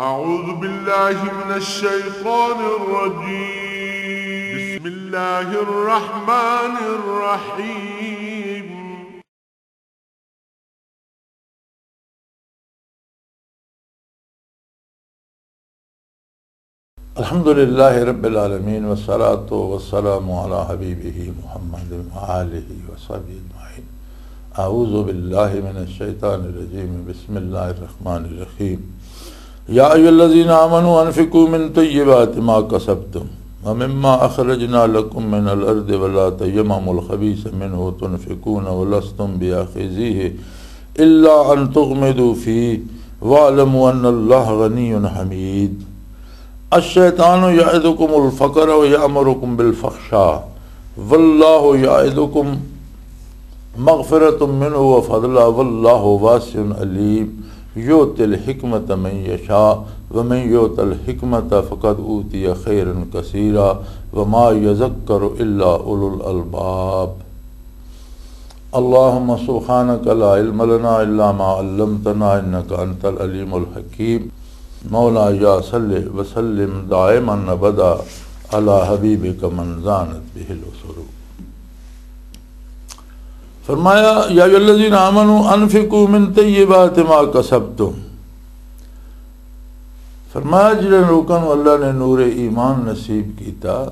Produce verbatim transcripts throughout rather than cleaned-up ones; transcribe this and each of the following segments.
أعوذ بالله من الشيطان الرجيم. بسم الله الرحمن الرحيم. الحمد لله رب العالمين، والصلاة والسلام على حبيبه محمد وآله وصحبه أجمعين. أعوذ بالله من الشيطان الرجيم. بسم الله الرحمن الرحيم. يا أيها الذين آمنوا أنفقوا من طيبات ما كسبتم ومما أخرجنا لكم من الأرض ولا تيمموا الخبيث منه تنفقون ولستم بآخذيه إلا أن تغمضوا فيه واعلموا أن الله غني حميد. الشيطان يعدكم الفقر ويأمركم بالفحشاء والله يعدكم مغفرة منه وفضلا والله واسع عليم. يؤتي الحكمة من يشاء ومن يؤت الحكمة فقد أوتي خيرا كثيرا وما يذكر إلا أولو الألباب. اللهم سبحانك لا علم لنا إلا ما علمتنا إنك أنت العليم الحكيم. مولاي صل وسلم دائما أبدا على حبيبك من زانت به الأسر. فرمایا، یا ایھا الذین آمنوا انفقوا من طیبات ما کسبتم۔ فرمایا، جڑے لوکاں نوں اللہ نے نور ایمان نصیب کیتا،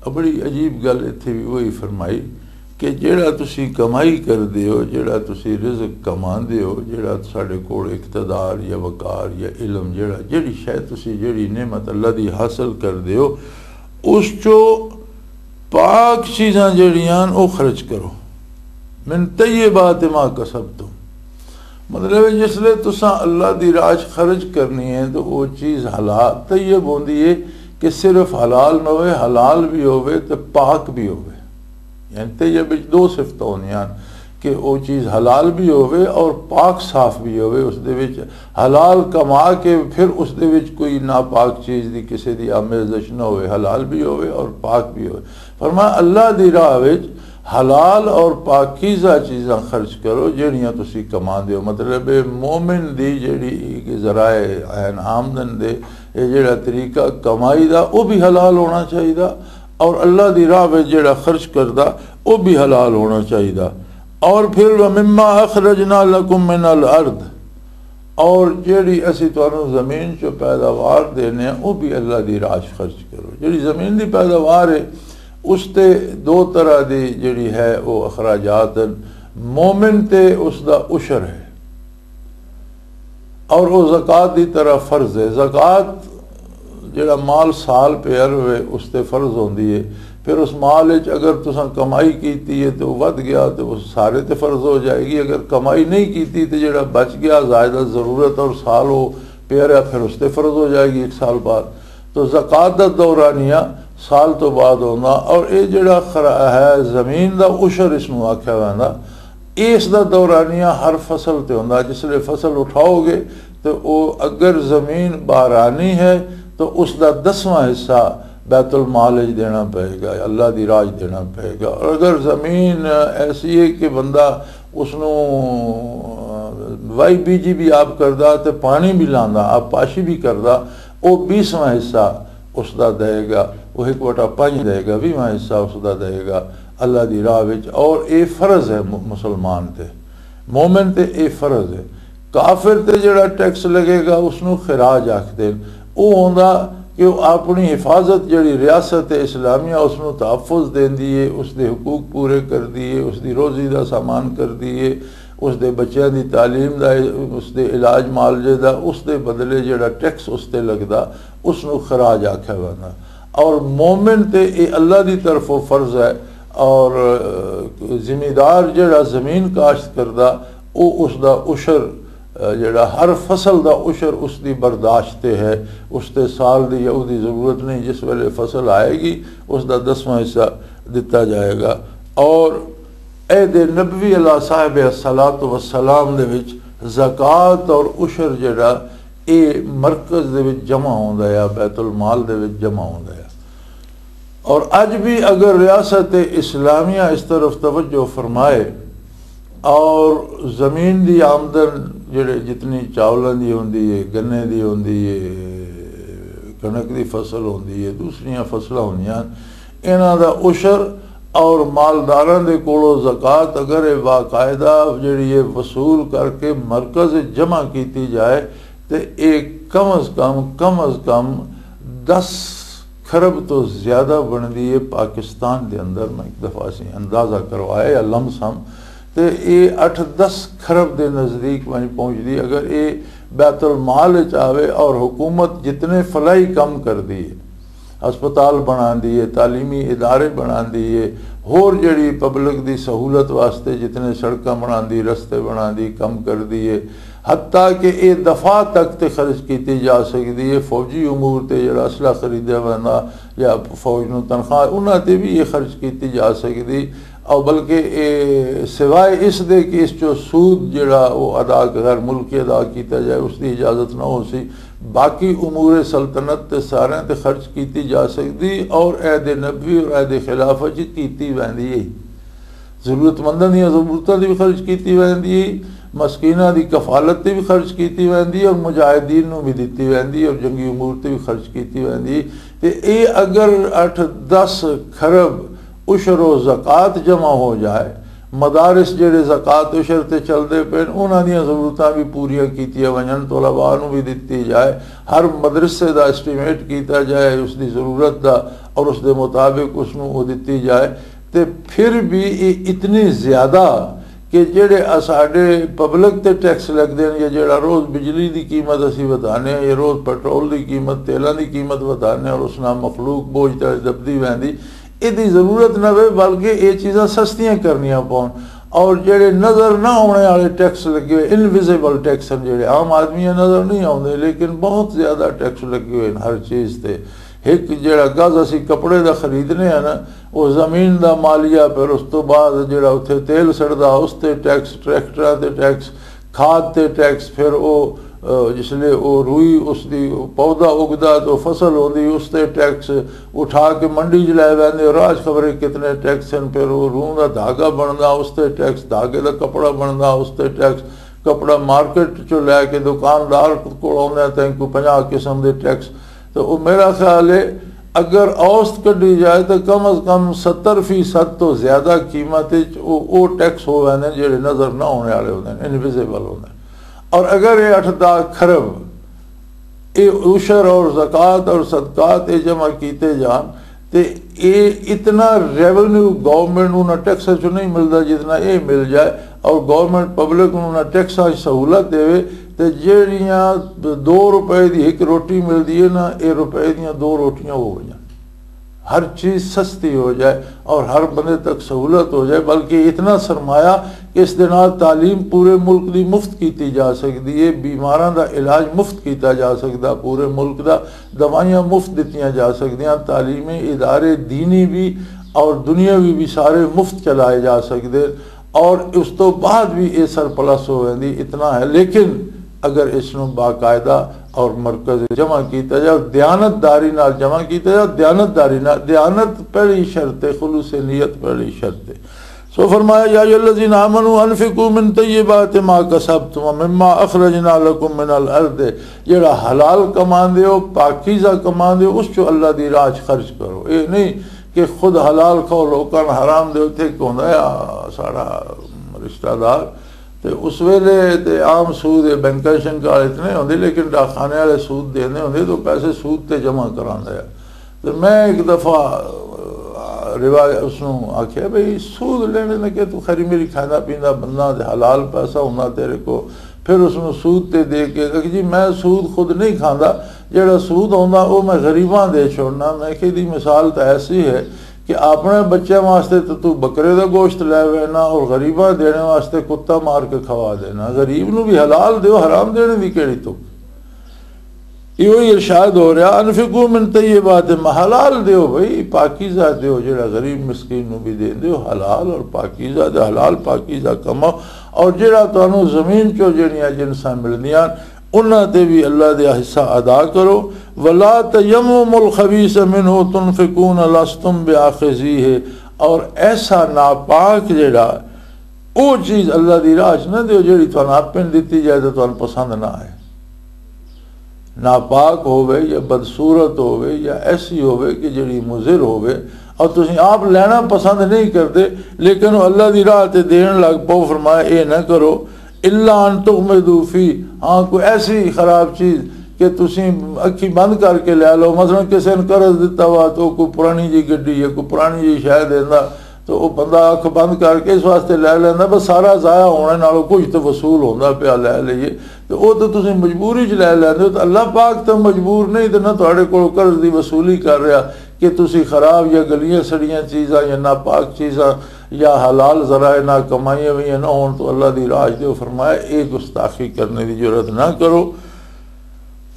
اب بڑی عجیب گل اتھے بھی وہی فرمائی کہ جڑا تسی کمائی کر دیو، جڑا تسی رزق کما دیو، جڑا ساڈے کول اقتدار یا وقار یا علم، جڑا، جڑی شے تسی، جڑی نعمت اللہ دی حاصل کر دیو، اس چو پاک چیزاں جڑیاں او خرچ کرو۔ من طیبات ما کسبتم، مطلب ہے جس لے تساں اللہ دی راہ چ خرچ کرنی ہے تو او چیز حلال طیب ہوندی ہے کہ صرف حلال نہ ہوئے، حلال بھی ہوئے تے پاک بھی ہوئے۔ یعنی طیب وچ دو صفتاں ہوندیاں کہ او چیز حلال بھی ہوئے اور پاک صاف بھی ہوئے، اس دے وچ حلال کما کے پھر اس دے وچ کوئی ناپاک چیز دی، کسے دی آمیزش نہ ہوئے، حلال بھی ہوئے اور پاک بھی ہوئے۔ فرمایا، اللہ دی راہ وچ حلال اور پاکیزہ چیزاں خرچ کرو جہڑیاں تسی کما دیو۔ مطلب ہے مومن دی جہڑی ذرائع عین آمدن دے، یہ جہڑا طریقہ کمائی دا، وہ بھی حلال ہونا چاہیے، اور اللہ دی راہ وچ جہڑا خرچ کردا، وہ بھی حلال ہونا چاہیے۔ اور پھر وَمِمَّا أَخْرَجْنَا لَكُم مِّنَ الْأَرْضِ، اور جیڑی اسی تانوں زمین چوں پیداوار دینے ہیں، وہ بھی اللہ دی راہ چ خرچ کرو۔ جیڑی زمین دی پیداوار ہے، اس تے دو طرح دی جیڑی ہے، وہ اخراجات ہیں۔ مومن تے اس دا عشر ہے، اور وہ زکوٰۃ دی طرح فرض ہے۔ زکوٰۃ جڑا مال سال پہ عرب ہے، اس تے فرض ہوندی ہے۔ پھر اس مال وچ اگر تساں کمائی کیتی ہے تے وہ ودھ گیا تے وہ سارے تے فرض ہو جائے گی۔ اگر کمائی نہیں کیتی تے جڑا بچ گیا زائدہ ضرورت اور سال وہ پہ رہا، پھر اس تے فرض ہو جائے گی ایک سال بعد۔ تو زکوٰۃ دا دورانیہ سال تو بعد ہوندا، اور اے جڑا خرا-، ہے زمین دا عشر اس نوں آکھیا ویندا۔ اس دا دورانیہ ہر فصل تے ہوندا۔ جس لے فصل اٹھاؤ گے تو او اگر زمین بارانی ہے تو اس دا دسواں حصہ بیت المال وچ دینا پئے گا، اللہ دی راج دینا پئے گا۔ اور اگر زمین ایسی ہے کہ بندہ اس نوں وائی بیجی بھی آپ کردا تے پانی بھی لاندا، آپ پاشی بھی کردا، او بیسواں حصہ اس دا دے گا، وہ ایک وٹا پنج دے گا، ویہواں حصہ اس دا دے گا اللہ دی راہ وچ۔ اور اے فرض ہے م-، مسلمان تے، مومن تے اے فرض ہے۔ کافر تے جڑا ٹیکس لگے گا، اس نوں خراج آکھدے نے۔ او ہوندا کہ او اپنی حفاظت، جڑی ریاست اسلامیہ اس نوں تحفظ دیندی ہے، اس دے حقوق پورے کردی ہے، اس دی روزی دا سامان کردی ہے، اس دے بچیاں دی تعلیم دا، اس دے علاج معالجے دا، اس دے بدلے جڑا ٹیکس اس تے لگدا، اس نوں خراج آکھیا ویندا۔ اور مومن تے اے اللہ دی طرفوں فرض ہے، اور زمیندار جڑا زمین کاشت کردا، او اس دا عشر، جڑا ہر فصل دا عشر اس دی برداشت تے ہے، اس تے سال دی یا اس دی ضرورت نہیں، جس ویلے فصل آئے گی اس دا دسواں حصہ دتا جائے گا۔ اور عہد نبوی علیہ صاحب الصلاۃ والسلام دے وچ زکوٰۃ اور عشر جڑا اے مرکز دے وچ جمع ہوندا ہے، بیت المال دے وچ جمع ہوندا ہے۔ اور اج بھی اگر ریاست اسلامیہ اس طرف توجہ فرمائے اور زمین دی آمدن جڑے جتنی چاولاں دی ہوندی ہے، گنے دی ہوندی ہے، کنک دی فصل ہوندی ہے، دوسریاں فصلاں ہوندیاں، انہاں دا عشر اور مالداراں دے کولوں زکوٰۃ اگر یہ باقاعدہ جڑی ہے وصول کر کے مرکز وچ جمع کیتی جائے، تے یہ کم از کم، کم از کم دس کھرب تو زیادہ بندی ہے پاکستان دے اندر۔ میں ایک دفعہ سی اندازہ کروایا یا لمس ہم، تے یہ اٹھ دس کھرب دے نزدیک وہیں پہنچ دی۔ اگر یہ بیت المال وچ آوے اور حکومت جتنے فلاحی کم کر دی ہے، ہسپتال بنا دی ہے، تعلیمی ادارے بنا دی ہے، ہور جڑی پبلک دی سہولت واسطے جتنے سڑکاں بنا دی، رستے بنا دی، کم کر دی ہے، حتیٰ کہ یہ دفاع تک تے خرچ کیتی جا سکدی ہے، فوجی امور تے جڑا اسلحہ خریدیا ویندا یا فوج نوں تنخواہ، انہاں تے بھی یہ خرچ کیتی جا سکدی۔ اور بلکہ یہ سوائے اس دے کہ اس چوں سود جڑا وہ ادا، غیر ملکی ادا کیتا جائے، اس دی اجازت نہ ہو سی، باقی امور سلطنت تے سارے تے خرچ کیتی جا سکدی اور عہد نبوی اور عہد خلافت چ کیتی ویندی ہے۔ ضرورت منداں دیاں ضرورتاں دی بھی خرچ کیتی ویندی ہے، مسکیناں دی کفالت تے بھی خرچ کیتی ویندی ہے اور مجاہدین نوں بھی دتی ویندی ہے اور جنگی امور تے بھی خرچ کیتی ویندی ہے۔ تے اے اگر اٹھ دس کھرب عشر و زکوٰۃ جمع ہو جائے، مدارس جڑے زکوٰۃ عشر تے چلدے پئے نے، انہاں دیاں ضرورتاں بھی پوریاں کیتیاں ونجن، طلباء نوں بھی دتی جائے، ہر مدرسے دا ایسٹیمیٹ کیتا جائے اس دی ضرورت دا، اور اس دے مطابق اس نوں وہ دتی جائے، تے پھر بھی یہ اتنی زیادہ کہ جڑے اساڈے پبلک تے ٹیکس لگدے نے، یا جڑا روز بجلی دی قیمت اسی ودھانے ہیں، یا روز پٹرول دی قیمت، تیلاں دی قیمت ودھانے ہیں، اور اس نال مخلوق بوجھ تے دبدی ویندی، ایہدی ضرورت نہ ہوئے، بلکہ یہ چیزاں سستیاں کرنیاں پون۔ اور جڑے نظر نہ آنے والے ٹیکس لگے ہوئے، انویزیبل ٹیکس ہیں، جڑے عام آدمیاں نظر نہیں آتے، لیکن بہت زیادہ ٹیکس لگے ہوئے ہیں ہر چیز تے۔ ایک جڑا گز اسی کپڑے دا خریدنے ہیں نا، وہ زمین دا مالیہ، پھر اس تو بعد جڑا اتھے تیل سڑدا، اس تے ٹیکس، ٹریکٹراں تے ٹیکس، کھاد تے ٹیکس، پھر وہ، آ، جس لے وہ روئی، اس دی پودا اگدا تو فصل ہوندی، اس تے ٹیکس، اٹھا کے منڈی چ لے ویندے، راج خبرے کتنے ٹیکس ہیں۔ پھر وہ روح دا دھاگا بندا، اس تے ٹیکس، دھاگے دا کپڑا بندا، اس تے ٹیکس، کپڑا مارکیٹ چوں لے کے دکاندار کول آوندا ہے، تاں کوئی پنجاہ قسم دے ٹیکس۔ تو وہ میرا خیال ہے، اگر اوسط کڈی جائے تو کم از کم ستر فیصد تو زیادہ قیمت وچ وہ، وہ ٹیکس ہو ویندے نے جڑے نظر نہ ہونے والے ہوندے نے، انویزیبل ہوندے نے۔ اور اگر یہ اٹھ دہ کھرب یہ عشر اور زکوٰۃ اور صدقات یہ جمع کیتے جان، تے یہ اتنا ریونیو گورنمنٹ نوں نہ ٹیکس چوں نہیں ملدا جتنا یہ مل جائے، اور گورنمنٹ پبلک نوں نہ ٹیکساں دی سہولت دے، تے جیڑیاں دو روپے دی ایک روٹی ملدی ہے نا، یہ روپے دیاں دو روٹیاں ہو گئیاں۔ ہر چیز سستی ہو جائے اور ہر بندے تک سہولت ہو جائے، بلکہ اتنا سرمایہ کہ اس دے نال تعلیم پورے ملک دی مفت کیتی جا سکدی ہے، بیماراں دا علاج مفت کیتا جا سکدا، پورے ملک دا دوائیاں مفت دتیاں جا سکدیاں، تعلیمی ادارے دینی بھی اور دنیاوی بھی سارے مفت چلائے جا سکدے، اور اس تو بعد بھی یہ سرپلس ہو ویندی، اتنا ہے۔ لیکن اگر اس نوں باقاعدہ اور مرکز جمع کیتا جائے، دیانت داری نال جمع کیتا جائے، دیانت داری نال، دیانت پہلی شرط ہے، خلوص نیت پہلی شرط ہے۔ سو فرمایا، یا ایھا الذین آمنوا انفقوا من طیبات ما کسبتم ومما اخرجنا لکم من الارض، جڑا حلال کماندے ہو، پاکیزہ کماندے ہو، اس چوں اللہ دی راہ چ خرچ کرو۔ یہ نہیں کہ خود حلال کھاؤ، لوکاں نوں حرام دے۔ اتھے ایک ہوندا ہے، آ، ساڈا رشتہ دار، تے اس ویلے تے عام سود، یہ بینکاں شنکاں والے اتنے ہوندے، لیکن ڈاکخانے والے سود دیندے ہوندے، تو پیسے سود تے جمع کراندا ہے۔ تے میں ایک دفعہ، آ، روایت اس نوں آکھیا، بھئی، سود لینے نے کہ تو خیری میری کھانا پیندا بندہ، تے حلال پیسہ ہوندا تیرے کو، پھر اس نوں سود تے دے کے کہ جی، میں سود خود نہیں کھاندا، جڑا سود ہوندا، وہ میں غریباں دے چھوڑنا۔ میں کہ دی مثال تو ایسی ہے کہ اپنے بچے واسطے تو تو بکرے دا گوشت لے وینا اور غریباں دینے واسطے کتا مار کے کھوا دینا۔ غریب نو بھی حلال دیو، حرام دینے دی کیڑی تک؟ یہ وہی ارشاد ہو رہا، انفقوا من طیبات ما، حلال دیو بھائی، پاکیزہ دیو، جڑا غریب مسکین نو بھی دے دیو، حلال اور پاکیزہ دے، حلال پاکیزہ کماؤ۔ اور جڑا تانوں زمین چوں جڑیاں جنساں ملدیاں، انہاں تے بھی اللہ دے حصہ ادا کرو۔ ولا تیمموا الخبیث منہ تنفقون لستم بآخذیہ، اور ایسا ناپاک جڑا وہ چیز اللہ دی راہ چ نہ دیو جڑی تانوں اپن دتی جائے تو تانوں پسند نہ آئے۔ ناپاک ہووے یا بدصورت ہووے یا ایسی ہووے کہ جڑی مضر ہووے اور تسی آپ لینا پسند نہیں کرتے، لیکن وہ اللہ دی راہ تے دین لگ پو۔ فرمایا، اے نہ کرو، الا ان تغمضوا فی، ہاں، کوئی ایسی خراب چیز کہ تسی اکھی بند کر کے لے لو۔ مثلاً کسی نے قرض دتا وا تو کوئی پرانی جی گڈی ہے، کوئی پرانی جی شے دیندا، تو وہ بندہ اکھ بند کر کے اس واسطے لے لیندا، بس سارا ضائع ہونے نالوں کچھ تو وصول ہوندا پیا، لے لئیے۔ تو وہ تو تسی مجبوری چ لے لیندے ہو، تو اللہ پاک تو مجبور نہیں، تو نہ تہاڈے کول قرض دی وصولی کر رہا کہ تسی خراب یا گلیاں سڑیاں چیزاں یا ناپاک چیزاں یا حلال ذرائع نہ کمائیاں ہوئیاں نہ ہون، تو اللہ دی راج دے فرمایا، اے گستاخی کرنے دی جرات نہ کرو۔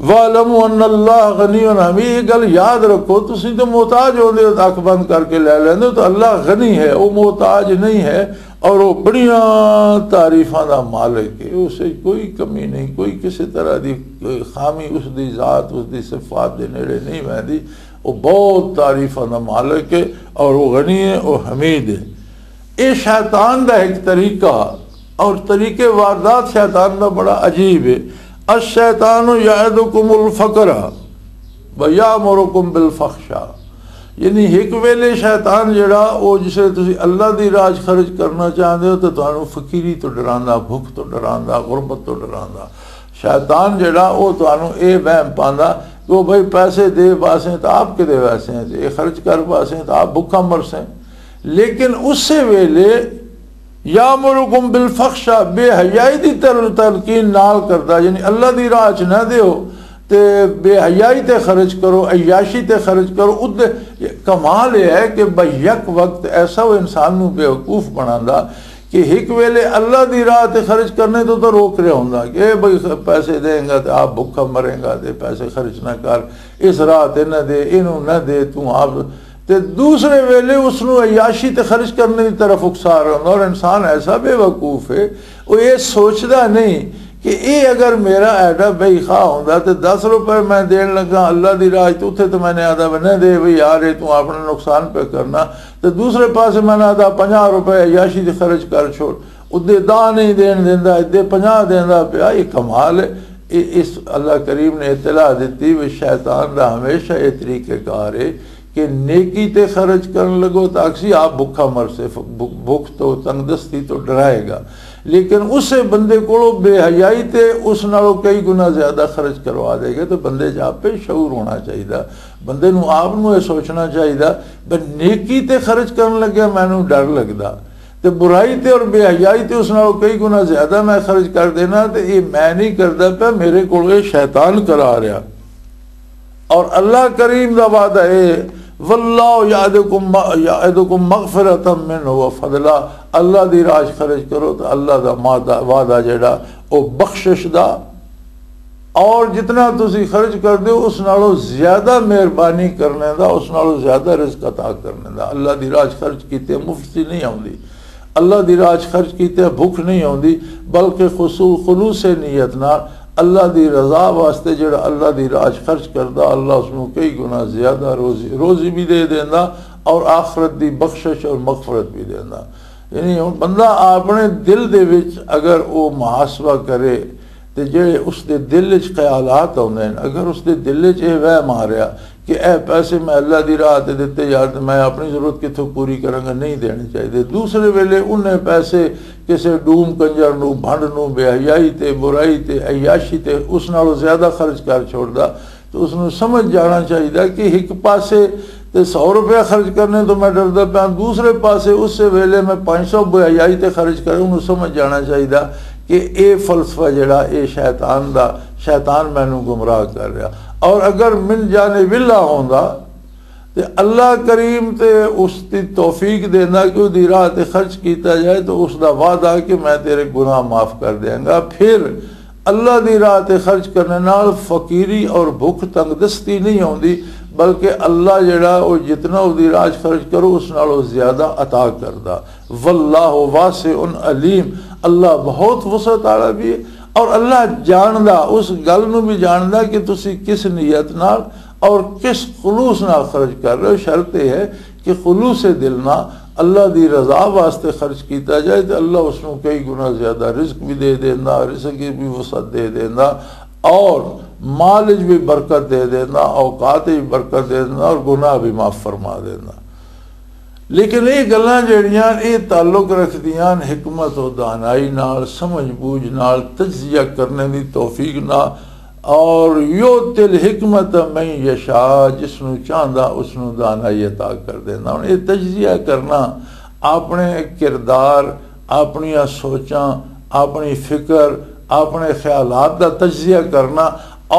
وَاعْلَمُوا أَنَّ اللَّهَ غَنِيٌّ حَمِيدٌ۔ یہ گل یاد رکھو، تسی تو محتاج ہوندے ہو، اکھ بند کر کے لے لیندے ہو، تو اللہ غنی ہے، وہ محتاج نہیں ہے، اور وہ بڑیاں تعریفاں دا مالک ہے۔ اسے کوئی کمی نہیں، کوئی کسی طرح دی خامی اس دی ذات، اس دی صفات دے نیڑے نہیں ویندی۔ وہ بہت تعریفاں دا مالک ہے، اور وہ غنی ہے، وہ حمید ہے۔ یہ شیطان دا ایک طریقہ، اور طریقے واردات شیطان دا بڑا عجیب ہے۔ الشیطان یعدکم الفقر و یامرکم بالفحشاء۔ یعنی ایک ویلے شیطان جڑا، او جسے تسی اللہ دی راج خرچ کرنا چاہندے ہو، تے تانوں فقیری تو ڈراندا، بھوک تو ڈراندا، غربت تو ڈراندا۔ شیطان جڑا، او تانوں اے وہم پاندا کہ او بھائی، پیسے دے واسے تے آپ کے دے واسے ہیں، تے اے خرچ کر واسے تے آپ بھوکا مرسے۔ لیکن اسے ویلے یامرکم بالفحشاء، بے حیائی دی تل-، تلقین نال کردا، یعنی اللہ دی راہ چ نہ دیو، تے بے حیائی تے خرچ کرو، عیاشی تے خرچ کرو۔ ادے کمال یہ ہے کہ بھئی یک وقت ایسا وہ انسان نو بیوقوف بناندا کہ ایک ویلے اللہ دی راہ تے خرچ کرنے تو تو روک رہا ہوندا کہ اے بھئی پیسے دیں گا تے آپ بھکھا مریں گا، تے پیسے خرچ نہ کر، اس راہ تے نہ دے، اینو نہ دے، تو آپ تے دوسرے ویلے اس نو عیاشی تے خرچ کرنے دی طرف اکسا رہا ہوندا۔ اور انسان ایسا بے وقوف ہے، وہ یہ سوچدا نہیں کہ اے اگر میرا ایڈا بھائی خواہ ہوندا تے دس روپے میں دین لگا اللہ دی راہ تے، اتھے تے میں نے آدھا، نہ دے بھائی یار، اے تو اپنا نقصان پہ کرنا۔ تے دوسرے پاسے میں نے آدھا، پنجاہ روپے عیاشی تے خرچ کر چھوڑ، ادے دا نہیں دین دیندا، ادے پنجاہ دیندا پیا۔ یہ کمال ہے۔ اے، اس اللہ کریم نے اطلاع دیتی، وہ شیطان دا ہمیشہ یہ طریقہ کار ہے کہ نیکی تے خرچ کرن لگو تو اکسی آپ بھکھا مر سے، بھک-، بھکھ تو تنگ دستی تو ڈرائے گا۔ لیکن اسے بندے کولو بے حیائی تے اس نالوں کئی گنا زیادہ خرچ کروا دے گا۔ تو بندے چ آپ پہ شعور ہونا چاہیے، بندے نو آپ نو یہ سوچنا چاہیے، بس نیکی تے خرچ کرن لگیا مینوں ڈر لگدا، تے برائی تے اور بے حیائی تے اس نالوں کئی گنا زیادہ میں خرچ کر دینا، تے یہ میں نہیں کردا پیا، میرے کولو یہ شیطان کرا رہا۔ اور اللہ کریم دا وعدہ ہے، واللہ یعدکم، یعدکم مغفرۃ منہ و فضلا، اللہ دی راج خرچ کرو تو اللہ دا مادہ-، وعدہ جڑا، او بخشش دا، اور جتنا تسی خرچ کر دیو اس نالوں زیادہ مہربانی کرنے دا، اس نالوں زیادہ رزق عطا کرنے دا۔ اللہ دی راج خرچ کیتے مفت سی نہیں آوندی۔ اللہ دی راج خرچ کیتے بھوک نہیں ہوندی، بلکہ خصو-، خلوص نیت نال اللہ دی رضا واسطے جڑا اللہ دی راج خرچ کردا، اللہ اس نوں کئی گنا زیادہ روزی، روزی بھی دے دیندا اور آخرت دی بخشش اور مغفرت بھی دیندا۔ یعنی ہن بندہ اپنے دل دے وچ اگر او محاسبہ کرے تے جڑے اس دے دل وچ خیالات آوندے نے، اگر اس دے دل وچ اے وہم آ رہا کہ اے پیسے میں اللہ دی راہ تے دتے یار، تے میں اپنی ضرورت کتھوں پوری کراں گا، نہیں دینے چاہیے۔ دوسرے ویلے انہیں پیسے کسے ڈوم کنجر نو، بھنڈ نو، بے حیائی تے، برائی تے، عیاشی تے اس نالوں زیادہ خرچ کر چھوڑدا، تو اس نوں سمجھ جانا چاہیے کہ ایک پاسے تے سو روپیہ خرچ کرنے تو میں ڈردا پیا، دوسرے پاسے اس سے ویلے میں پانچ سو بے حیائی تے خرچ کروں، انہوں سمجھ جانا چاہیے کہ اے فلسفہ جڑا اے شیطان دا، شیطان مینوں گمراہ کر رہا۔ اور اگر من جانب اللہ ہوندا تے اللہ کریم تے اس دی توفیق دیندا کہ اس دی راہ تے خرچ کیتا جائے، تو اس دا وعدہ کہ میں تیرے گناہ معاف کر دیاں گا۔ پھر اللہ دی راہ تے خرچ کرنے نال فقیری اور بھوک تنگ دستی نہیں ہوندی، بلکہ اللہ جڑا او جتنا اس دی راہ چ خرچ کرو اس نال او زیادہ عطا کردا۔ واللہ واسع علیم، اللہ بہت وسعت والا بھی ہے اور اللہ جاندا، اس گل نو بھی جاندا کہ تسی کس نیت نال اور کس خلوص نال خرچ کر رہے ہو۔ شرط یہ ہے کہ خلوص دل نال اللہ دی رضا واسطے خرچ کیتا جائے تو اللہ اس نوں کئی گنا زیادہ رزق بھی دے دیندا، رزق کی بھی وسعت دے دیندا، اور مال وچ بھی برکت دے دیندا، اوقات وچ برکت دے دیندا اور گناہ بھی معاف فرما دیندا۔ لیکن یہ گلاں جڑیاں، یہ تعلق رکھدیاں حکمت و دانائی نال، سمجھ بوجھ نال، تجزیہ کرنے دی توفیق نال۔ اور یؤتی الحکمت من یشاء، جس نوں چاہندا اس نوں دانائی عطا کر دیندا۔ ہن یہ تجزیہ کرنا، اپنے کردار، اپنیاں سوچاں، اپنی فکر، اپنے خیالات دا تجزیہ کرنا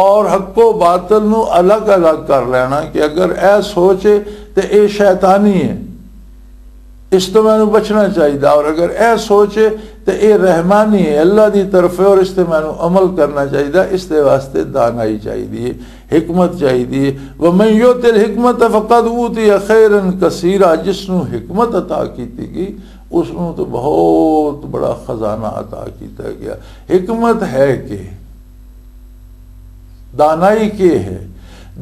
اور حق و باطل نوں الگ الگ کر لینا کہ اگر اے سوچ ہے تے اے شیطانی ہے، اس تو مینوں بچنا چاہیدا، اور اگر اے سوچ ہے تے اے رحمانی ہے، اللہ دی طرف ہے اور اس تے مینوں عمل کرنا چاہیدا۔ اس دے واسطے دانائی چاہیدی ہے، حکمت چاہیدی ہے۔ ومن یؤت الحکمت فقد اوتی خیرا کثیرا، جس نوں حکمت عطا کیتی گئی، اس نوں تو بہت بڑا خزانہ عطا کیتا گیا۔ حکمت ہے کہ دانائی کے ہے؟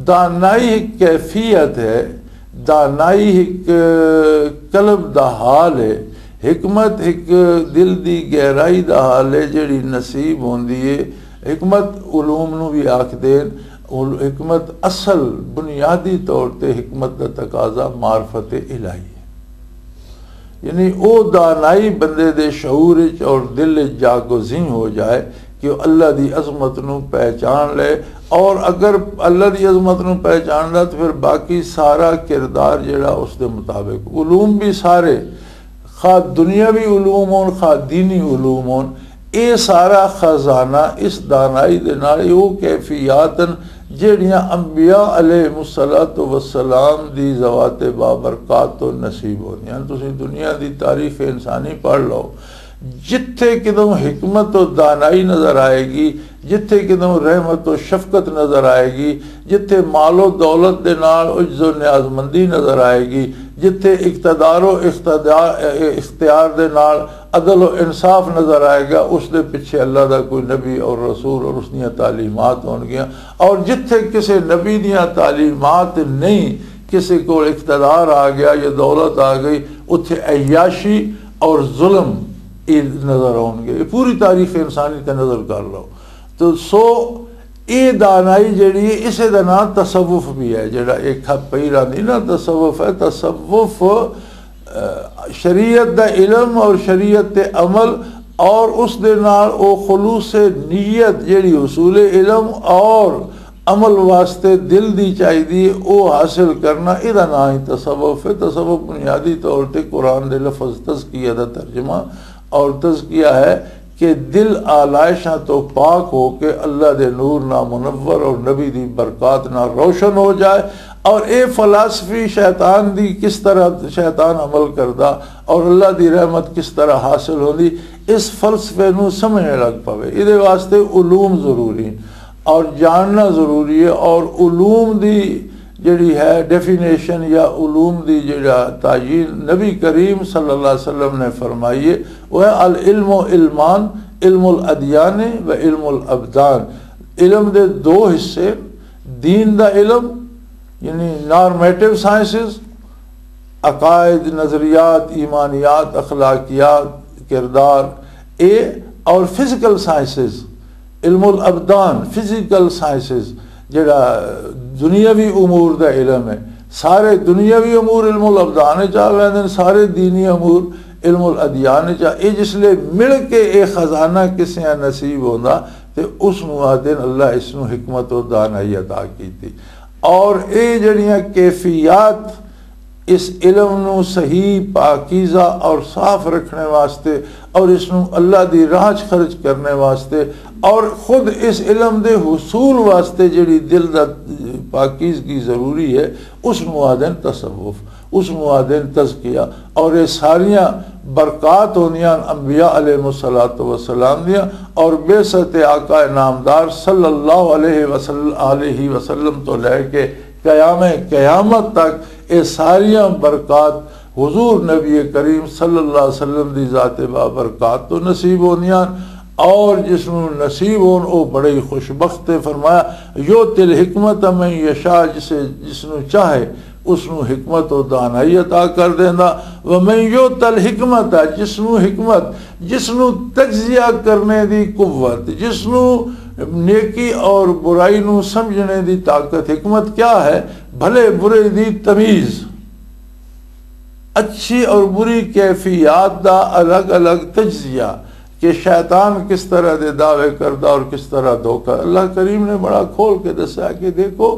دانائی ایک کیفیت ہے، دانائی ایک قلب دا حال ہے، حکمت ایک دل دی گہرائی دا حال ہے جڑی نصیب ہوندی ہے۔ حکمت علوم نو بھی آکھ دین، ال- حکمت اصل بنیادی طور تے حکمت دا تقاضا معرفت الہی ہے۔ یعنی او دانائی بندے دے شعور وچ اور دل وچ جاگزین ہو جائے کہ وہ اللہ دی عظمت نو پہچان لے، اور اگر اللہ دی عظمت نو پہچان لے تو پھر باقی سارا کردار جڑا اس دے مطابق۔ علوم بھی سارے، خواہ دنیاوی علوم ہون، خواہ دینی علوم ہون، اے سارا خزانہ اس دانائی دے نال، اے او کیفیات ہن جہڑیاں انبیاء علیہ الصلوۃ والسلام دی ذوات بابرکات تو نصیب ہوندیاں ہن۔ تسی دنیا دی تاریخ انسانی پڑھ لو، جتھے کدوں حکمت و دانائی نظر آئے گی، جتھے کدوں رحمت و شفقت نظر آئے گی، جتھے مال و دولت دے نال عجز و نیاز مندی نظر آئے گی، جتھے اقتدار و اقتدار، اختیار دے نال عدل و انصاف نظر آئے گا، اس دے پیچھے اللہ دا کوئی نبی اور رسول اور اس دیاں تعلیمات ہون گیاں۔ اور جتھے کسے نبی دیاں تعلیمات نہیں، کسے کول اقتدار آ گیا یا دولت آ گئی، اتھے عیاشی اور ظلم یہ نظر آؤن گے۔ یہ پوری تاریخ انسانی تے نظر کر لو۔ تو سو اے دانائی جڑی ہے، اسے دا نام تصوف بھی ہے۔ جڑا ایک پہلا نہیں نا، تصوف ہے، تصوف، آ، شریعت دا علم اور شریعت تے عمل، اور اس دے نال او خلوص نیت جڑی حصول علم اور عمل واسطے دل دی چاہیدی ہے، او حاصل کرنا، اے دا نام ہی تصوف ہے۔ تصوف بنیادی طور تے قرآن دے لفظ تزکیہ دا ترجمہ اور تزکیہ ہے کہ دل آلائشاں تو پاک ہو کے اللہ دے نور نہ منور اور نبی دی برکات نہ روشن ہو جائے، اور اے فلسفی شیطان دی کس طرح شیطان عمل کردا اور اللہ دی رحمت کس طرح حاصل ہوندی، اس فلسفے نو سمجھنے لگ پوے۔ اے دے واسطے علوم ضروری ہیں اور جاننا ضروری ہے، اور علوم دی جڑی ہے ڈیفینیشن یا علوم دی جڑا تعین، نبی کریم صلی اللہ علیہ وسلم نے فرمائی ہے، وہ ہے العلم علمان، علم الادیان و علم الابدان۔ علم دے دو حصے، دین دا علم یعنی نارمیٹو سائنسز، عقائد، نظریات، ایمانیات، اخلاقیات، کردار، اے اور فزیکل سائنسز، علم الابدان، فزیکل سائنسز، جڑا دنیاوی امور دا علم ہے۔ سارے دنیاوی امور علم الابدان وچ آ ویندے نے، سارے دینی امور علم الادیان وچ آ۔ اے جس لے مل کے اے خزانہ کسے نصیب ہوندا تے اس نوں آدھے نے اللہ اس نوں حکمت و دانائی عطا کیتی۔ اور اے جڑیاں کیفیات اس علم نو صحیح، پاکیزہ اور صاف رکھنے واسطے اور اس نو اللہ دی راہ چ خرچ کرنے واسطے اور خود اس علم دے حصول واسطے جڑی دل دا پاکیزگی ضروری ہے، اس نو آدن تصوف، اس نو آدن تزکیہ۔ اور یہ ساریاں برکات ہوندیاں انبیاء علیہ الصلوۃ والسلام دیاں، اور بعثت آقا نامدار صلی اللہ علیہ وسلم، علیہ وسلم تو لے کے قیام قیامت تک یہ ساریاں برکات حضور نبی کریم صلی اللہ علیہ وسلم دی ذات بابرکات تو نصیب ہوندیاں، اور جس نوں نصیب ہون او بڑے ہی خوش بخت ہے۔ فرمایا، یؤتی الحکمت من یشاء، جسے، جس نوں چاہے اس نوں حکمت و دانائی عطا کر دیندا۔ ومن یؤت الحکمت، جس نوں حکمت، جس نوں تجزیہ کرنے دی قوت، جس نوں نیکی اور برائی نوں سمجھنے دی طاقت۔ حکمت کیا ہے؟ بھلے برے دی تمیز، اچھی اور بری کیفیات دا الگ الگ تجزیہ، کہ شیطان کس طرح دے دعوے کردا اور کس طرح دھوکا۔ اللہ کریم نے بڑا کھول کے دسیا کہ دیکھو،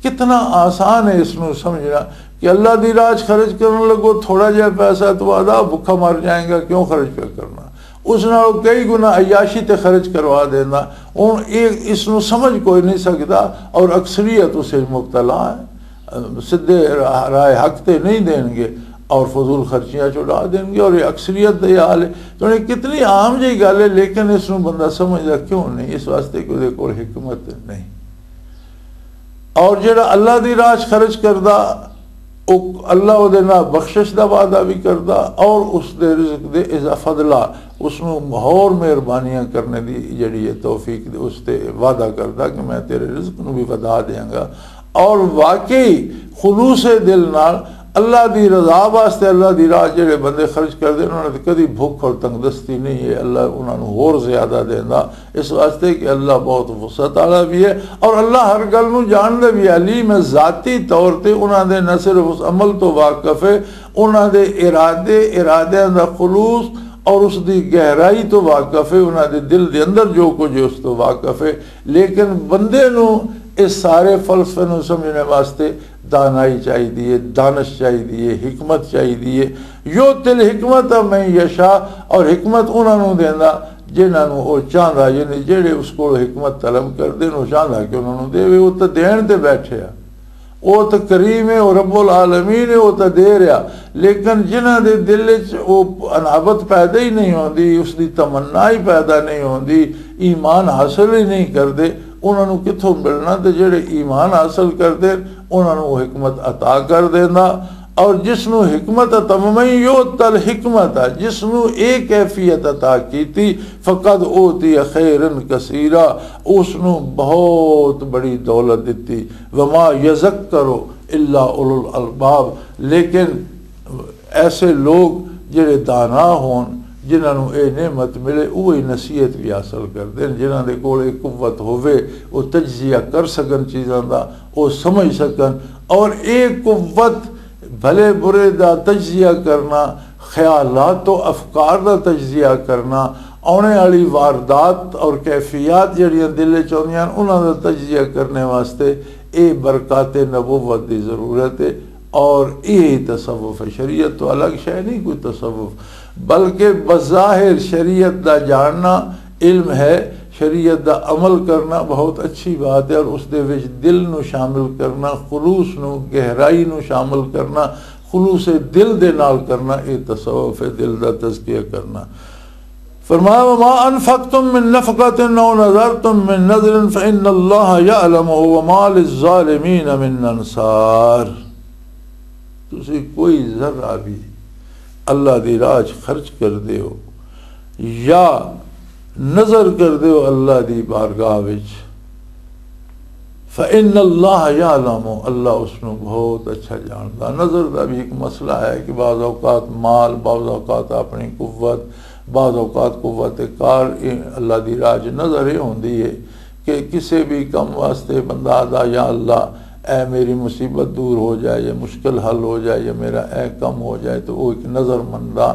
کتنا آسان ہے اس نوں سمجھنا کہ اللہ دی راہ 'چ خرچ کرن لگو، تھوڑا جہا پیسہ تو آدھا بھکھا مر جائیں گا، کیوں خرچ پہ کرنا؟ اس نال کئی گنا عیاشی تے خرچ کروا دینا۔ ہن یہ اس نوں سمجھ کوئی نہیں سکدا، اور اکثریت اسے مبتلا ہے، سدھے راہ، راہ حق تے نہیں دین گے، اور فضول خرچیاں چڑھا دین گے، اور یہ اکثریت دے حال ہے۔ تو یہ کتنی عام جی گل ہے، لیکن اس نوں بندہ سمجھدا کیوں نہیں؟ اس واسطے کہ اودے کول حکمت نہیں۔ اور جڑا اللہ دی راہ 'چ خرچ کردا، او اللہ اودے نال بخشش دا وعدہ بھی کردا، اور اس دے رزق دے اضافہ، فضلہ، اس نوں ہور مہربانیاں کرنے دی جڑی ہے توفیق دے، اس تے وعدہ کردا کہ میں تیرے رزق نوں بھی ودھا دیاں گا۔ اور واقعی خلوص دل نال اللہ دی رضا واسطے اللہ دی راہ جڑے بندے خرچ کردے، انہاں نے کدی بھوک اور تنگ دستی نہیں ہے، اللہ انہاں نوں ہور زیادہ دیندا۔ اس واسطے کہ اللہ بہت وسعت والا بھی ہے، اور اللہ ہر گل نوں جاندا بھی ہے، علیم ہے۔ ذاتی طور تے انہاں دے نہ صرف اس عمل تو واقف ہے، انہاں دے ارادے، ارادیاں دا خلوص اور اس دی گہرائی تو واقف ہے، انہاں دے دل دے اندر جو کچھ ہے اس تو واقف ہے۔ لیکن بندے نوں اس سارے فلسفے نوں سمجھنے واسطے دانائی چاہیدی ہے، دانش چاہیدی ہے، حکمت چاہیدی ہے۔ یؤتی الحکمت من یشاء، اور حکمت انہاں نوں دیندا جنہاں نوں او چاہندا، یعنی جڑے اس کول حکمت طلب کردے نوں چاہندا کہ انہاں نوں دے، او تے دین تے بیٹھے آ، او تے کریم ہے، او رب العالمین ہے، او تے دے رہا۔ لیکن جنہاں دے دل وچ او انابت پیدا ہی نہیں ہوندی، اس دی تمنا ہی پیدا نہیں ہوندی، ایمان حاصل ہی نہیں کردے، انہاں نوں کتھوں ملنا؟ تے جڑے ایمان حاصل کردے، انہاں نوں او حکمت عطا کر دیندا۔ اور جس نوں حکمت عطا، ومن یؤت الحکمت، جس نوں اے کیفیت عطا کیتی، فقد اوتی خیرا کثیرا، اس نوں بہت بڑی دولت دتی۔ وما یذکر الا اولو الالباب، لیکن ایسے لوگ جڑے دانا ہون، جنہاں نوں اے نعمت ملے، وہی نصیحت بھی حاصل کردے ہیں۔ جنہاں دے کول اے قوت ہووے، وہ تجزیہ کر سکن چیزاں دا، وہ سمجھ سکن۔ اور اے قوت بھلے برے دا تجزیہ کرنا، خیالات و افکار دا تجزیہ کرنا، آنے والی واردات اور کیفیات جڑیاں دل وچ آندیاں، انہاں دا تجزیہ کرنے واسطے اے برکات نبوت دی ضرورت ہے۔ اور یہی تصوف ہے، شریعت تو الگ شے نہیں کوئی تصوف، بلکہ بظاہر شریعت دا جاننا علم ہے، شریعت دا عمل کرنا بہت اچھی بات ہے، اور اس دے وچ دل نو شامل کرنا، خلوص نو، گہرائی نو شامل کرنا، خلوص دل دے نال کرنا، یہ تصوف ہے، دل دا تزکیہ کرنا۔ فرمایا، وما انفقتم من نفقة او نذرتم من نذر فان اللہ یعلمہ وما للظالمین من انصار۔ تسی کوئی ذرہ بھی اللہ دی راہ چ خرچ کر دیو یا نظر کر دیو اللہ دی بارگاہ وچ، فإن اللہ یعلم، اللہ اس نو بہت اچھا جاندا۔ نظر دا بھی ایک مسئلہ ہے کہ بعض اوقات مال، بعض اوقات اپنی قوت، بعض اوقات قوت کار، اے اللہ دی راہ چ نظر اے ہوندی ہے کہ کسے بھی کم واسطے بندہ آدا، یا اللہ، اے میری مصیبت دور ہو جائے، یا مشکل حل ہو جائے، یا میرا اے کم ہو جائے، تو وہ ایک نظر مندا،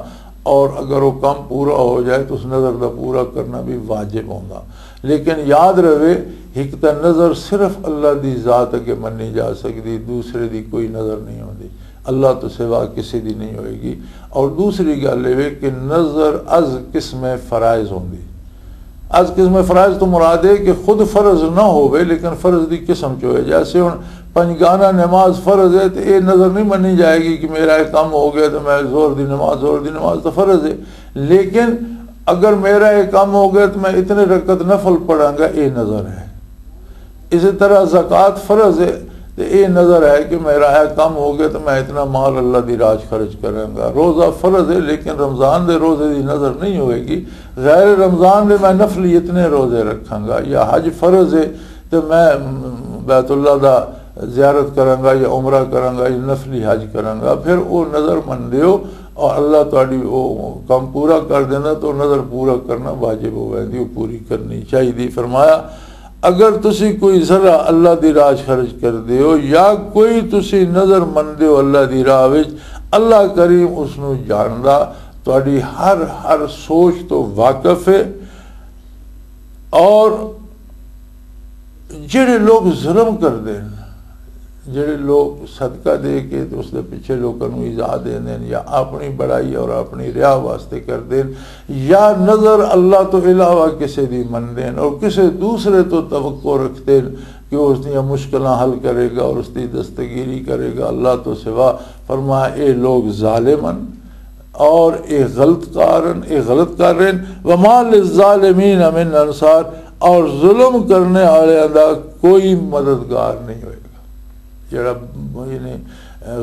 اور اگر وہ کم پورا ہو جائے تو اس نظر دا پورا کرنا بھی واجب ہوندا۔ لیکن یاد رہے، ایک تے نظر صرف اللہ دی ذات اگے منی جا سکدی، دوسرے دی کوئی نظر نہیں ہوندی، اللہ تو سوا کسی دی نہیں ہوئے گی۔ اور دوسری گل یہ کہ نظر از قسم فرائض ہوندی۔ از قسم فرائض تو مراد ہے کہ خود فرض نہ ہوئے، لیکن فرض دی قسم چ ہوئے۔ جیسے ہن پنجگانہ نماز فرض ہے، تو یہ نظر نہیں منی جائے گی کہ میرا یہ کم ہو گیا تو میں زور دی نماز، زور دی نماز تو فرض ہے، لیکن اگر میرا یہ کم ہو گیا تو میں اتنے رکعت نفل پڑھاں گا، یہ نظر ہے۔ اسی طرح زکوٰۃ فرض ہے، تو یہ نظر ہے کہ میرا یہ کم ہو گیا تو میں اتنا مال اللہ دی راہ چ خرچ کراں گا۔ روزہ فرض ہے، لیکن رمضان دے روزے دی نظر نہیں ہوئے گی، غیر رمضان دے میں نفلی اتنے روزے رکھاں گا۔ یا حج فرض ہے، تو میں بیت اللہ دا زیارت کراں گا یا عمرہ کراں گا یا نفلی حج کراں گا، پھر او نظر من دیو اور اللہ تہاڈی او کم پورا کر دیندا، تو نظر پورا کرنا واجب ہو ویندی، او پوری کرنی چاہیے۔ فرمایا، اگر تسی کوئی ذرہ اللہ دی راہ خرچ کر دیو یا کوئی تسی نظر من دیو اللہ دی راہ وچ، اللہ کریم اس نو جاندا، تہاڈی ہر ہر سوچ تو واقف ہے۔ اور جڑے لوگ ظلم کردے ہیں، جڑے لوگ صدقہ دے کے تے اس دے پیچھے لوکاں نوں ایذا دیندے ہیں یا اپنی بڑائی اور اپنی ریا واسطے کردے ہیں یا نظر اللہ تو علاوہ کسے دی مندے ہیں اور کسے دوسرے تو توقع رکھتے ہیں کہ وہ اس دیاں مشکلاں حل کرے گا اور اس دی دستگیری کرے گا اللہ تو سوا، فرمایا، اے لوگ ظالم ہیں اور اے غلط کار ہیں، اے غلط کر رہے ہیں۔ وما للظالمین من انصار، اور ظلم کرنے والے دا کوئی مددگار نہیں ہوئے گا۔ جڑا یعنی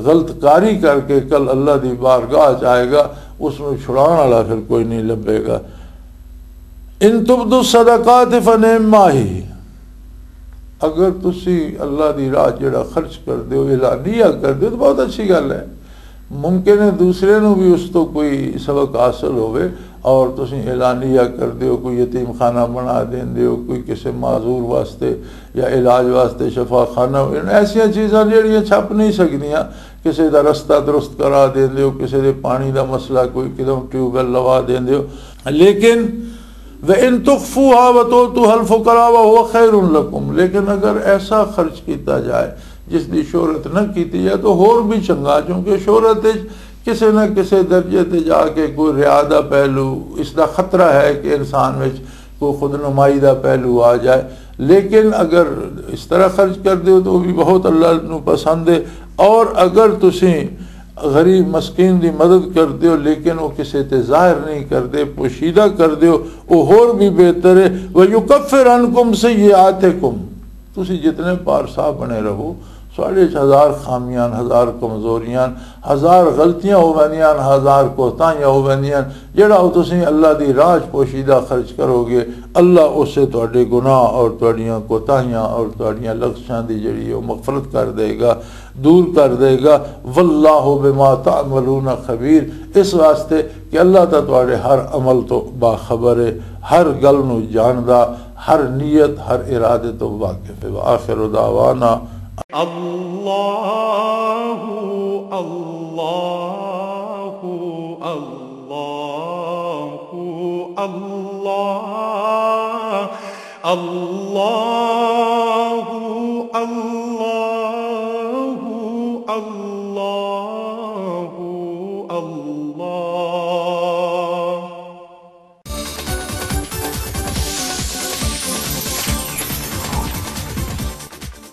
غلط کاری کر کے کل اللہ دی بارگاہ چ آئے گا، اس نوں چھڑان والا پھر کوئی نہیں لبے گا۔ ان تبدوا الصدقات فنعم ما ہی، اگر تسی اللہ دی راہ جڑا خرچ کر دیو، اعلانیہ کر دیو، تو بہت اچھی گل ہے۔ ممکن ہے دوسرے نوں بھی اس تو کوئی سبق حاصل ہوئے، اور تسی اعلانیہ کر دیو، کوئی یتیم خانہ بنا دین دیو، کوئی کسے معذور واسطے یا علاج واسطے شفا خانہ، ایسیاں چیزاں جڑیاں چھپ نہیں سکدیاں، کسے دا رستہ درست کرا دین دیو، کسے دے پانی دا مسئلہ، کوئی کدوں ٹیوب ویل لوا دین دیو۔ لیکن وَإِن تُخْفُوهَا وَتُؤْتُوهَا الْفُقَرَاءَ وَهُوَ خَيْرٌ لَكُمْ، لیکن اگر ایسا خرچ کیتا جائے جس دی شہرت نہ کیتی جائے تو ہور بھی چنگا، کیونکہ شہرت وچ کسے نہ کسے درجے تے جا کے کوئی ریا دا پہلو، اس دا خطرہ ہے کہ انسان وچ کوئی خود نمائی دا پہلو آ جائے۔ لیکن اگر اس طرح خرچ کر دیو تو وہ بھی بہت اللہ نو پسند ہے۔ اور اگر تسی غریب مسکین دی مدد کر دیو لیکن وہ کسے تے ظاہر نہیں کر دے، پوشیدہ کر دیو، وہ ہور بھی بہتر ہے۔ وَيُكَفِّرْ عَنْكُمْ سَيِّئَاتِكُمْ، تسی جتنے پارسا بنے رہو، ساڑھے ہزار خامیاں، ہزار کمزوریاں، ہزار غلطیاں ہو ویندیاں، ہزار کوتاہیاں ہو ویندیاں، جڑا وہ تسی اللہ دی راہ چ پوشیدہ خرچ کرو گے، اللہ اسے تہاڈے گناہ اور تہاڈیاں کوتاہیاں اور تہاڈیاں لغزشاں دی جڑی وہ مغفرت کر دے گا، دور کر دے گا۔ واللہ بما تعملون خبیر، اس واسطے کہ اللہ تا تہاڈے ہر عمل تو باخبر ہے، ہر گل نو جاندا، ہر نیت، ہر ارادے تو واقف ہے۔ وآخر دعوانا اللہ، اللہ، اللہ، اللہ، اللہ، اللہ، اللہ۔